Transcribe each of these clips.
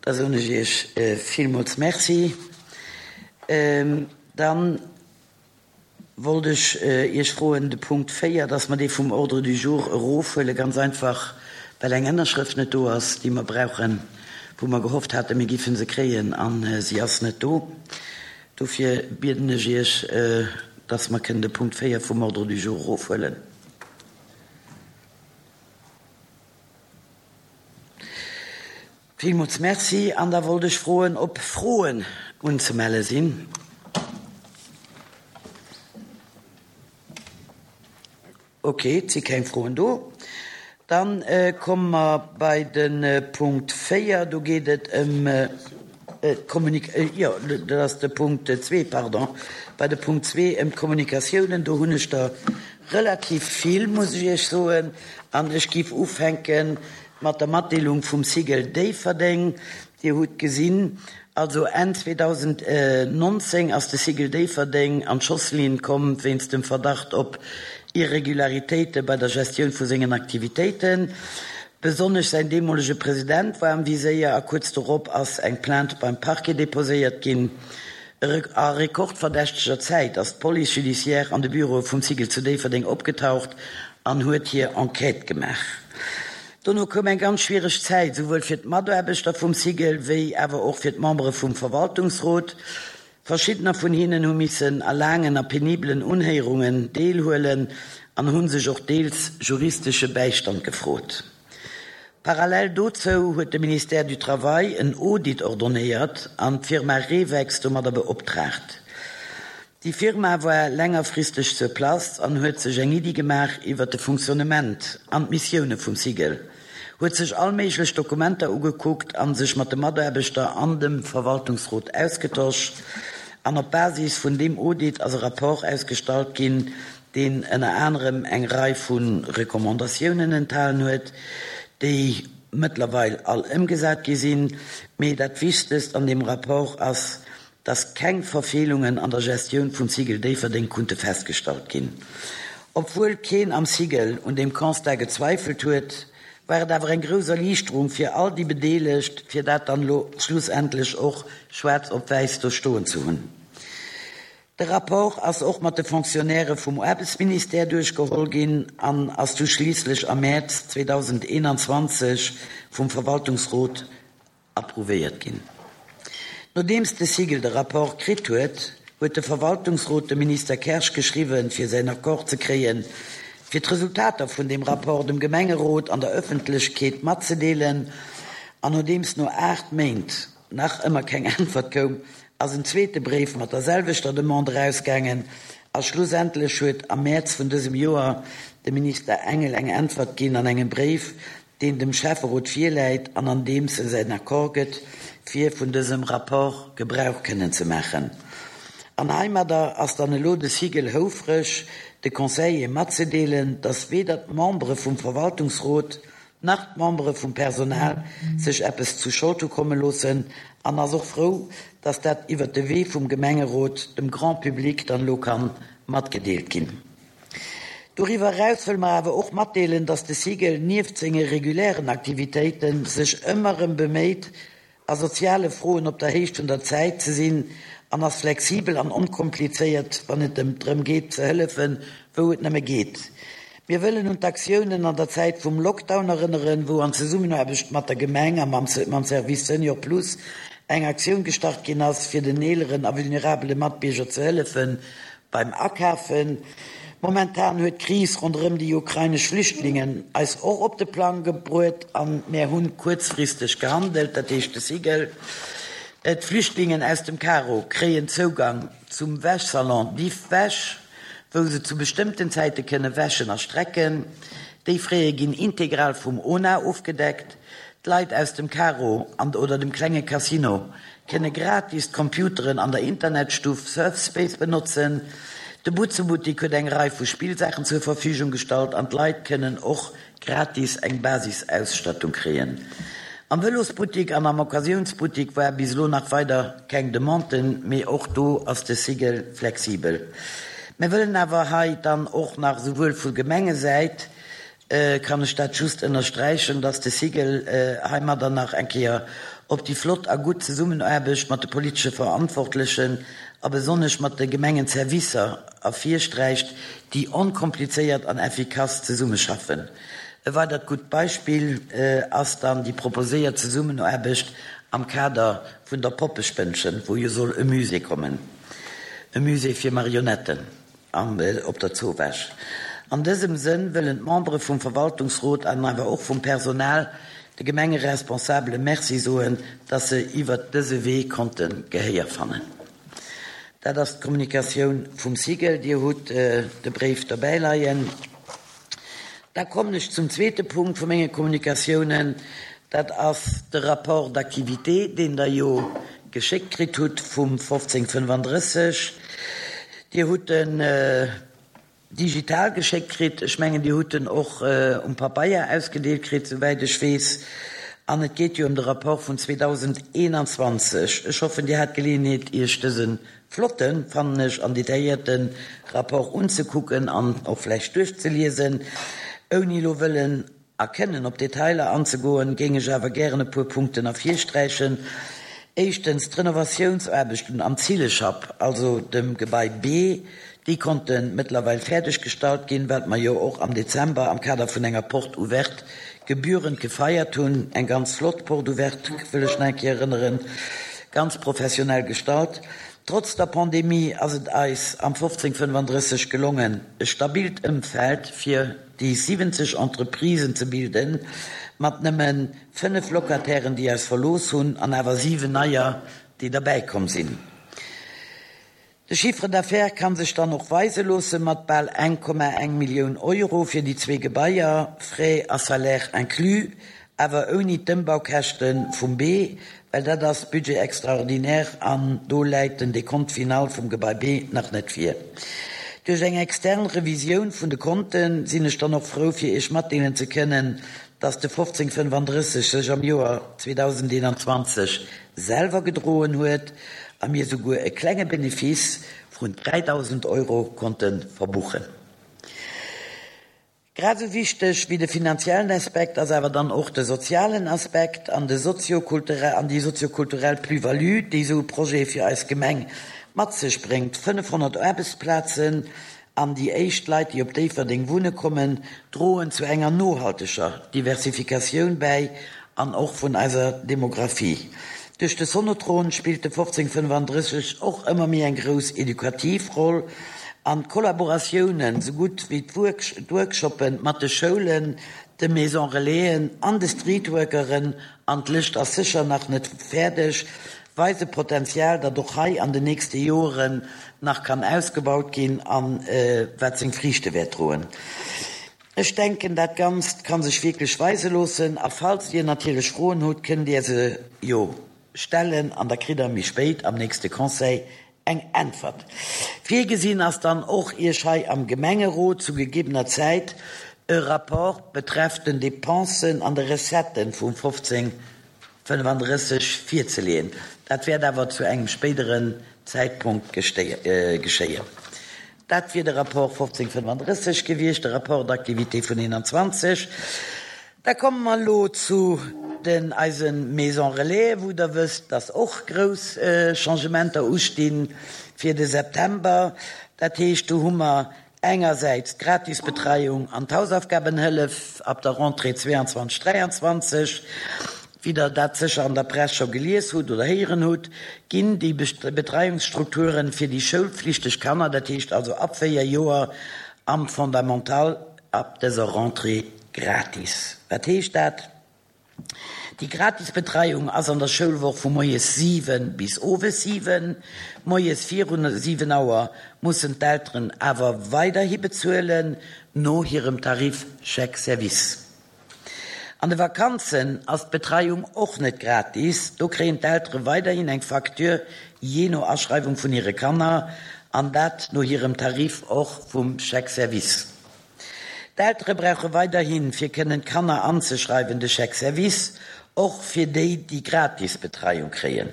Da soen ech Iech villmools Merci. Dann wollt ech Iech froen, de Punkt 4, dass mer dee vum Ordre du jour erofhuelen, ganz einfach, well eng Ënnerschrëft net do ass, déi mer brauchen, wou mer gehofft haten, mir géife se kréien, a si ass net do. Dofir bieden ech Iech, dass mer kënnen de Punkt 4 vum Ordre du jour erofhuelen. Villmools Merci. An da wollt ech froen, ob Froen unzemelle sinn. Ok, et si keng Froen do. Da komme mer bei de Punkt 4. Do geet et ëm d'Kommunik-, jo, dat ass de Punkt 2, pardon, bei de Punkt 2 ëm d'Kommunikatiounen. Do hunn ech der relativ vill, muss ech Iech soen. An ech géif ufänke mat der Matdeelung vum Cigl Déifferdeng. Dir hutt gesinn, also Enn 2019 ass de Cigl Déifferdeng an d'Schosslinn komm wéinst dem Verdacht op Irregularitéite bei der Gestioun vu sengen Aktivitéiten. Besonnesch säin deemolege President war am Viséier a kuerz dorop ass eng Plainte beim Parquet deposéiert ginn. A rekordverdächteger Zäit ass d'Police judiciaire an de Büroe vum Cigl zu Déifferdeng opgetaucht an huet hir Enquête gemaach. Dono koum eng ganz schwiereg Zäit, souwuel fir d'Mataarbechter vum Cigl wéi awer och fir d'Membere vum Verwaltungsrot. Verschiddener vun hinnen hu missen a laangen a penibelen Unhéierungen deelhuelen an hu sech och deels juristesche Bäistand gefrot. Parallel dozou huet de Ministère du Travail en Audit ordonnéiert an d'Firma Rewex domadder beoptraagt. Déi Firma war längerfristeg sur place an huet sech eng Iddi gemaach iwwert de Fonctionnement an d'Missioune vum Cigl, huet sech all méiglech Dokumenter ugekuckt an sech mat de Mataarbechter an dem Verwaltungsrot ausgetosch. An op Basis vun deem Audit ass e Rapport ausgestallt ginn, deen ënner anerem eng Rei vu Recommandatiounen enthalen huet, déi mëttlerweil all ëmgesat gi sinn. Mee dat Wichtegst an deem Rapport ass, dass keng Verfeelungen an der Gestioun vum Cigl Déifferdeng kunnte festgestallt ginn. Obwuel keen am Cigl un deem Constat gezweifelt huet, war et awer eng grouss Erliichterung fir all déi Bedeelegt, fir dat dann elo schlussendlech och schwaarz op wäiss do stoen ze hunn. De Rapport ass och mat de Fonctionnairë vum Aarbechtsministère duerchgeholl ginn an ass du schliisslech am Mäerz 2021 vum Verwaltungsrot approuvéiert ginn. Nodeems de Cigl de Rapport kritt huet, huet de Verwaltungsrot dem Minister Kersch geschriwwen, fir säin Accord ze kréien, fir d'Resultater vun deem Rapport dem Gemengerot an der Ëffentlechkeet matzedeelen. An nodeems no 8 Méint nach ëmmer keng Äntwert koum, ass en zweete Bréif mat der selwechter Demande erausgaangen a schlussendlech huet am Mäerz vun dësem Joer de Minister Engel eng Äntwert ginn an engem Bréif, deen dem Schäfferot virläit an an deems e säin Accord gëtt, fir vun dësem Rapport Gebrauch kënnen ze maachen. An heimadder ass dann elo de Cigl houfreg, de Conseillere matzedeelen, dass weder d'Membere vum Verwaltungsrot nach d'Membere vum Personal sech eppes zu Schold hu komme loossen an ass och frou, dass dat iwwert de Wee vum Gemengerot dem Grand public dann elo ka matgedeelt ginn. Doriwwer eraus wëlle mer awer och matdeelen, dass de Cigl nieft senge regulären Aktivitéite sech ëmmer erëm beméit, a soziale Froen op der Héicht vun der Zäit ze sinn an ass flexibel an onkomplizéiert, wann et ëm drëm geet ze hëllefen, wou et nëmme geet. Mir wëllen un d'Aktiounen an der Zäit vum Lockdown erënneren, wou an Zesummenaarbecht mat der Gemeng a mam Service Senior Plus eng Aktioun gestart ginn ass, fir den eeleren a vulnerabele Matbierger ze hëllefen Beim Akafen. Momentan huet d'Kris ronderëm déi ukrainesch Flüchtlingen eis och op de Plang gebruet an mär hunn kuerzfristeg gehandelt, dat heescht de Cigl. D'Flüchtlingen aus dem Karo kréien Zougang zum Wäschsalon Diff Wäsch, wou se zu bestëmmten Zäite kënne wäschen a strecken. Déi Fräe ginn integral vum ona ofgedeckt. D'Leit aus dem Karo an oder dem klenge Casino kënne gratis d'Computeren an der Internetstuff Surfspace benotzen. De Butzebuttik huet eng Rei vu Spillsaachen zur Verfügung gestallt an d'Leit kënnen och gratis eng Basisausstattung kréien. Am Vëlosbuttik an am Occasiounsbuttik war bis elo nach weider keng Demande, mee och do ass de Cigl flexibel. Mir wëllen awer hei dann och nach souwuel vu Gemengesäit. kann ech dat just ënnersträichen, dass de SIGEL heimadder nach eng Kéier op déi flott a gutt Zesummenaarbecht mat de politesche Verantwortlechen a besonnesch mat de Gemengenservicer ervirsträicht, déi onkomplizéiert an effikass zesummeschaffen. E weidert gutt Beispill ass dann déi proposéiert Zesummenaarbecht am Kader vun der Poppespënnchen, wou jo soll e Musée kommen, e Musée fir Marionetten. An op der Zowaasch. An dësem Sënn wëllen d'Membere vum Verwaltungsrot an awer och vum Personal de Gemengeresponsabele Merci soen, dass se iwwert dëse Wee konnte Gehéier fannen. Dat ass d'Kommunikatioun vum SIGEL. Dir hutt de Bréif dobäi leien. Da kommen ech zum zweete Punkt vu menge Kommunikatiounen, dat ass de Rapport d'activité, deen Der jo geschéckt kritt hutt vum 1535. Dir hutt en digital geschéckt kritt. Ech mengen, Dir hutt en och um Pabeier ausgedeelt kritt, souwäit ech weess. An et geet jo ëm de Rapport vun 2021. Ech hoffen, Dir hat d'Geleeënheet, Iech dëse Flotten, fannen ech, an detailléierten Rapport unzekucken an och vläicht duerchzeliesen. Ouni elo wëllen a kënnen op Detailer anzegoen, géing ech awer gären e puer Punkten ervirsträichen. Éischtens, d'Renovatiounsaarbechten am Zilleschapp, also dem Gebai B, déi konnte mëttlerweil fäerdeg gestallt ginn, wat mer jo och am Dezember am Kader vun enger Porte ouverte gebührend gefeiert hunn. Eng ganz flott Porte ouverte, wëll ech nach eng Kéier erënneren, ganz professionell gestallt. Trotz der Pandemie ass et eis am 1535 gelongen, e stabilt Ëmfeld fir déi 70 Entreprisen ze bilden, mat nëmme 5 Locatairen, déi eis verlooss hunn, an awer 7 neier, déi derbäikomm sinn. De Chiffre d'affaires kann sech dann och weise loosse mat bal 1,1 Millioun Euro fir déi zwee Gebaier, Frais a Salaires inclus, awer ouni d'Ëmbaukäschte vum B, well dat ass Budget extraordinaire an do läit den Décompte final vum Gebai B nach net vir. Duerch eng extern Revisioun vun de Konte sinn ech dann och frou fir Iech matdeelen ze kënnen, dass de 1535 sech am Joer 2021 selwer gedroen huet a mir souguer e klenge Benefice vun 3.000 Euro konnte verbuchen. Grad esou wichteg wéi de finanziellen Aspekt ass awer dann och de sozialen Aspekt an de soziokulturell an déi soziokulturell Plus-value, déi esou e Projet fir eis Gemeng mat sech bréngt, 500 Aarbechtsplazen An déi éischt Leit, déi op Déifferdeng wunne kommen, droen zu enger nohalteger Diversifikatioun bäi an och vun eiser Demographie. Duerch de Sonotron spillt de 1535 och ëmmer méi eng grouss edukativ Roll an d'Kollaboratiounen, sou gutt wéi d'Workshoppe mat de Schoulen, de Maison Relaisen an de Streetworkeren, an d'Lëscht ass sécher nach net fäerdeg, weise Potenzial, dat och hei an den nächste Joren nach kann ausgebaut ginn a wat seng Friichte wäert droen. Ech denken, dat Ganzt ka sech wierklech weise loossen. A falls Dir natierlech Froen hutt, kënnt Dir se jo stellen an da kritt Der méi spéit am nächste Conseil eng Äntwert. Virgesinn ass dann och, Iech hei am Gemengerot zu gegebener Zäit e Rapport betreff den Dépensen an de Recetten vum 15 35 virzeleeën. Dat wäert awer zu engem spéideren Zäitpunkt geschéien. Dat wier de Rapport 1535 gewiescht, de Rapport d'activité vun 21. Da komme mer elo zu den eise Maisons Relais, wou Der wësst, dass och grouss Changementer usti fir de September. Dat heescht, do hu mer Engersäits d'Gratisbetreiung an d'Hausaufgabenhëllef ab der Rentrée 22, 23. Wéi der dat sécher an der Press scho gelies hutt oder héieren hutt, ginn déi Betreiungsstrukturen fir déi schoulpflichteg Kanner, dat heescht also ab 4 Joer am Fondamental, ab dëser Rentrée gratis. Wat heescht dat? Déi gratis Betreiung ass an der Schoulwoch vu moies 7 bis owes 7. Moies virun 7 Auer mussen d'Elteren awer weiderhi bezuelen, no hirem Tarif Chèque Service. An de Vakanzen ass d'Betreiung och net gratis, do kréien d'Eltere weiderhin eng Facture jee no Aschreiwung vun hire Kanner, an dat no hirem Tarif och vum Chèque Service. D'Eltere brauche weiderhin, fir kënnen d'Kanner anzeschreiwen, de Chèque Service, och fir déi, déi gratis Betreiung kréien.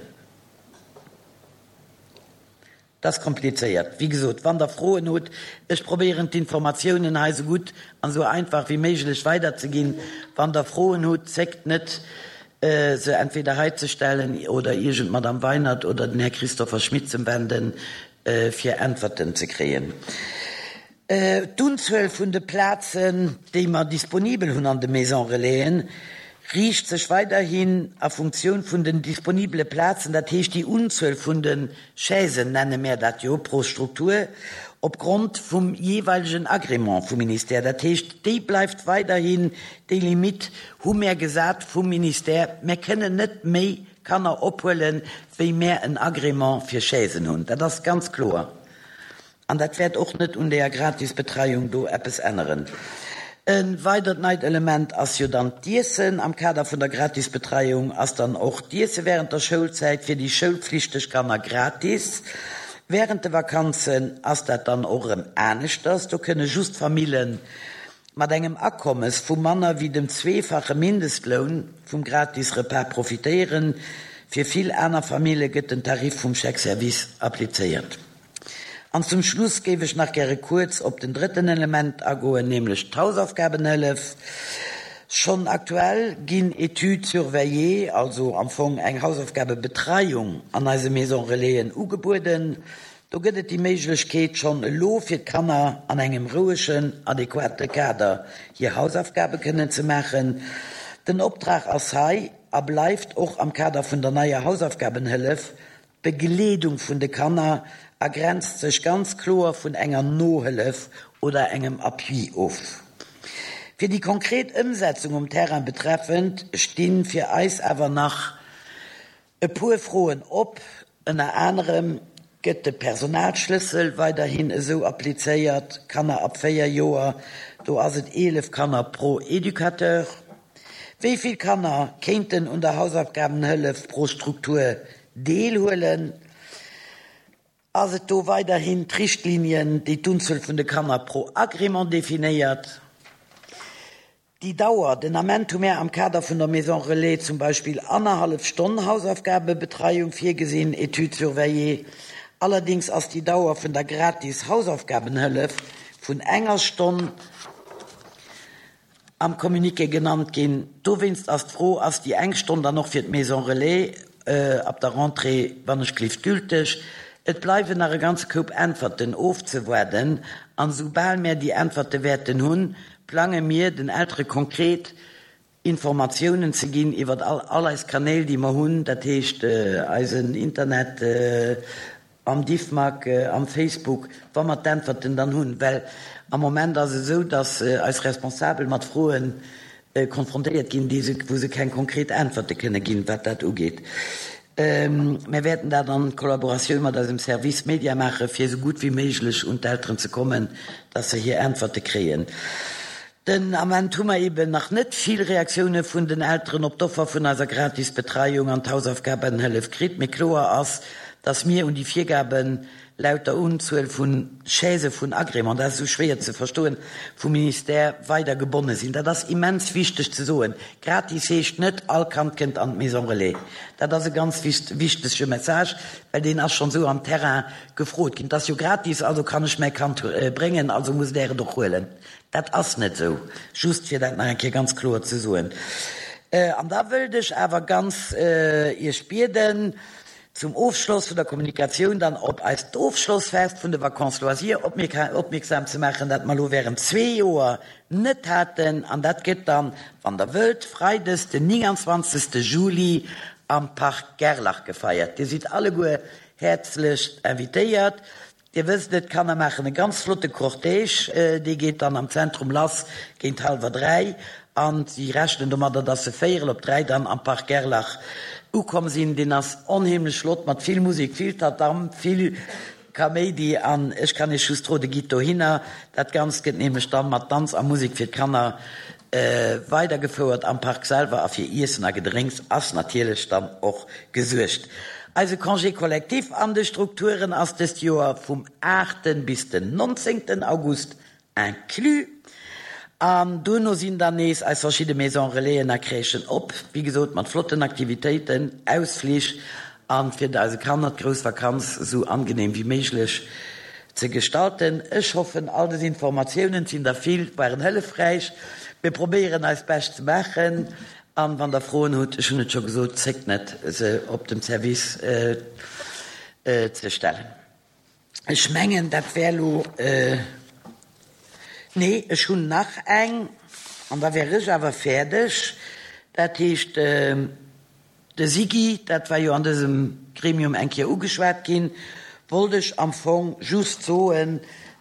Et ass komplizéiert. Wéi gesot, wann Der Froen hutt, ech probéieren d'Informatiounen hei esou gutt an esou einfach wéi méiglech weiderzeginn. Wann Der Froen hutt, zéckt net, se entweder hei ze stellen oder Iech un d'Madame Weinert oder den Här Christopher Schmit ze wenden, fir Äntwerten ze kréien. D'Unzuel vun de Plazen, déi mer disponibel hunn an de Maisons Relaisen, riicht sech weiderhin a Funktioun vun den disponibele Plazen, dat heescht déi Unzuel vun de Chaisen, nenne mär dat jo, pro Struktur, opgrond vum jeeweilegen Agrément vum Ministère. Dat heescht, déi bleift weiderhin, déi Limitt hu mär gesat vum Ministère. Mär kënnen net méi Kanner ophuelen, wéi mär en Agrément fir Chaisen hunn. Dat ass ganz kloer. An dat wäert och net un deeër Gratisbetreiung do eppes änneren. E weidert neit Element ass jo dann d'Iessen. Am Kader vun der Gratisbetreiung ass dann och d'Iesse während der Schoulzäit fir déi schoulpflichteg Kanner gratis. Während de Vakanzen ass dat dann och erëm aneschters. Do kënne just Famillen mat engem Akommes vu manner wéi dem zweefache Mindestloun vum gratis Repas profitéieren. Fir vill aner Famille gëtt den Tarif vum Chèque-service applizéiert. An zum Schluss géif ech nach gäre kuerz op den drëtten Element agoen, nämlech d'Hausaufgabenhëllef. Schonn aktuell ginn Études surveillées, also am Fong eng Hausaufgabebetreiung an eise Maison Relaisen ugebueden. Do gëtt et déi Méiglechkeet schonn elo fir d'Kanner an engem rouegen, adequate Kader hir Hausaufgabe kënnen ze maachen. Den Optrag ass hei a bleift och am Kader vun der neier Hausaufgabenhëllef D'Begleedung vun de Kanner a grenzt sech ganz kloer vun enger Nohëllef oder engem Appui of. Fir déi konkret Ëmsetzung um Terrain betreffend sti fir eis awer nach e puer Froen op. Ënner anerem, Gëtt de Personalschlëssel weiderhin esou applizéiert, Kanner ab 4 Joer, do ass et 11 Kanner pro Educateur? Wéi vill Kanner kéinten un der Hausaufgabenhëllef pro Struktur deelhuelen? Ass et do weiderhin d'Richtlinien, déi d'Unzuel vun de Kanner pro Agrément definéiert? Déi Dauer, Den Ament hu mär am Kader vun der Maison Relais zum Beispill annerhallef Stonn Hausaufgabebetreiung virgesinn, Études surveillées. Allerdings ass déi Dauer vun der gratis Hausaufgabenhëllef vun enger Stonn am Communiqué genannt ginn. Dowéinst ass d'Fro, Ass déi eng Stonn dann och fir d'Maison Relais ab der Rentrée, wann ech gelift, gülteg? Et bleiwen nach e ganze Koup Äntwerten ofzewaarden an esoubal mär déi Äntwerte wäerten hunn, plange mir, den Eltere konkret Informatiounen ze ginn iwwert all eis Kanäl, déi mer hunn, dat heescht eisen Internet, am Diffmag, am Facebook, wa mer d'Äntwerten dann hunn. Well am Moment ass et esou, datt eis Responsabel mat Froe konfrontéiert ginn, déi se, wou se keng konkret Äntwerte kënne ginn, wat dat ugeet. Mir wäerten dat an Kollaboratioun mat eisem Service Media maachen, fir esou gutt wéi méiglech un d'Elteren ze kommen, datt se hir Äntwerte kréien. Den Ament hu mer eben nach net vill Reaktioune vun den Elteren op d'Offer vun eiser gratis Betreiung an d'Hausaufgabenhëllef kritt, mee kloer ass, dass mir un déi Virgaben laut der Unzuel vu Chaisë vun Agrément, dat ass esou schwéier ze verstoen, vum Ministère weider gebonne sinn. Dat ass immens wichteg ze soen. Gratis heescht net, all Kand kënnt an d'Maison Relais. Dat ass e ganz wichtege Message, well deen ass schonn esou am Terrain gefrot ginn. Et ass jo gratis, also kann ech mäi Kand bréngen, also musst Där et och huelen. Dat ass net esou, just fir dat nach eng Kéier ganz kloer ze soen. An da wëllt ech awer ganz Iech bieden, zum Ofschloss vun der Kommunikatioun dann op eist Ofschlossfest vun de Vacances loisirs opmierksam ze maachen, dat mer elo während zwee Joer net haten. An dat gëtt dann, wann Der wëllt, freides den 29. Juli am Parc Gerlach gefeiert. Dir sidd alleguer häerzlechst invitéiert. Dir wësst et, d'Kanner maachen e ganz flotte Cortège. Dee geet dann am Zentrum lass géint hallwer 3 an si rechnen domadder, dass se véierel op 3 dann am Parc Gerlach ukomm sinn. Deen ass onheemlech flott mat vill Musek, vill Tatam, vill Kaméidi an ech kann Iech just rode, gitt dohinner. Dat Ganzt gëtt nämlech dann mat Danz a Musek fir d'Kanner Weidergefouert am Park selwer a fir Iessen a Gedrénks ass natierlech dann och gesuergt. Eise Congé collectif an de Strukturen ass dëst Joer vum aachten bis den nonzéngten August inclus. An duerno sinn dann nees eis verschidde Maison Relaisen a Crèchen op, wéi gesot mat flotten Aktivitéiten, Ausflich. an fir eise Kanner d'grouss Vakanz esou angenehm wéi méiglech ze gestalten. Ech hoffen, all des Informatiounen, et sinn der vill, waren hëllefräich. Mir probéieren eist Bescht ze maachen an wann der Froen hutt, ech hunn et scho gesot, zéckt net se op dem Service ze stellen. Ech mengen, dat wär elo, nee, ech hunn nach eng an da wär ech awer fäerdeg. Dat heescht, de SIGI, dat war jo an dësem Gremium eng Kéier ugeschwat ginn, wollt ech am Fong just soen,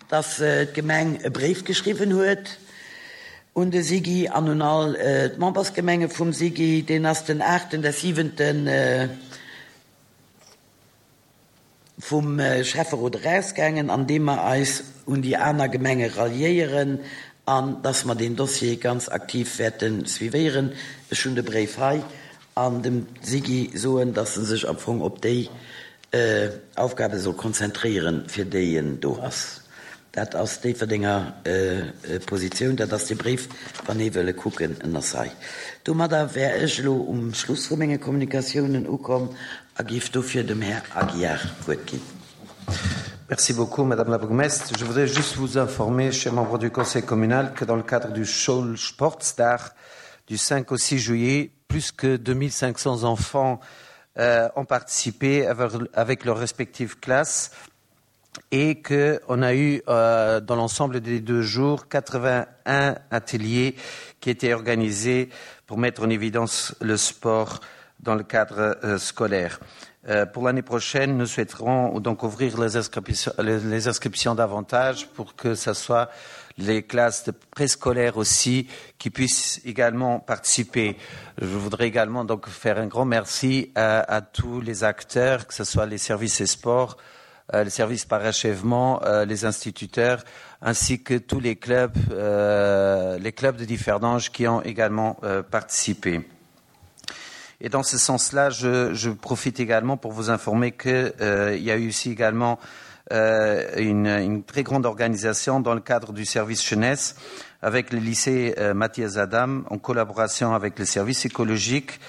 dass d'Gemeng e Bréif geschriwwen huet un de SIGI an un all d'Membersgemenge vum SIGI. Deen ass den aachten des siwenten. Vum Schäfferot erausgaangen, an deem mer eis un déi aner Gemenge ralliéieren an dass mer deen Dossier ganz aktiv wäerte suivéieren. Ech hunn de Bréif hei an dem Siggy soen, dass e sech am Fong op déi Aufgabe soll konzentréieren, fir déi en do ass. Dat ass d'Déifferdenger Positioun. Dat ass dee Bréif, wann ee wëll e kucken, en ass hei. Domadder wär ech elo um Schluss vu menge Kommunikatiounen ukomm a géif dofir dem Här Aguiar d'Wuert ginn. Merci beaucoup, Madame la Bourgmestre. Je voudrais juste vous informer, chers membres du Conseil communal, que dans le cadre du Schoulsportsdag du 5 au 6 juillet, plus que 2500 enfants euh, ont participé avec, avec leurs respectives classes et qu'on a eu euh, dans l'ensemble des deux jours 81 ateliers qui étaient organisés pour mettre en évidence le sport dans le cadre euh, scolaire. Euh, pour l'année prochaine, nous souhaiterons donc ouvrir les inscriptions, les, les inscriptions davantage pour que ce soit les classes de préscolaires aussi qui puissent également participer. Je voudrais également donc faire un grand merci à, à tous les acteurs, que ce soit les services et sports, euh, les services par achèvement, euh, les instituteurs, ainsi que tous les clubs, euh, les clubs de Differdange qui ont également euh, participé. Et dans ce sens-là, je, je profite également pour vous informer qu'il euh, y a eu aussi également euh, une, une très grande organisation dans le cadre du service jeunesse avec le lycée euh, Mathias Adam en collaboration avec le service écologique,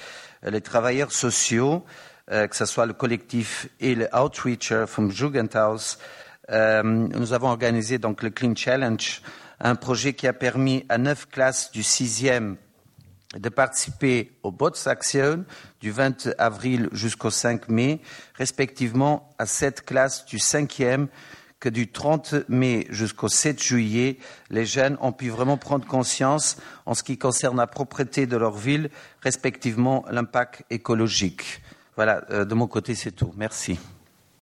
euh, les travailleurs sociaux, euh, que ce soit le collectif et le Outreacher from Jugendhaus. Euh, nous avons organisé donc le Clean Challenge, un projet qui a permis à neuf classes du sixième de participer aux Bots Action du 20 avril jusqu'au 5 mai, respectivement à sept classes du cinquième que du 30 mai jusqu'au 7 juillet, les jeunes ont pu vraiment prendre conscience en ce qui concerne la propreté de leur ville, respectivement l'impact écologique. Voilà, euh, de mon côté, c'est tout. Merci.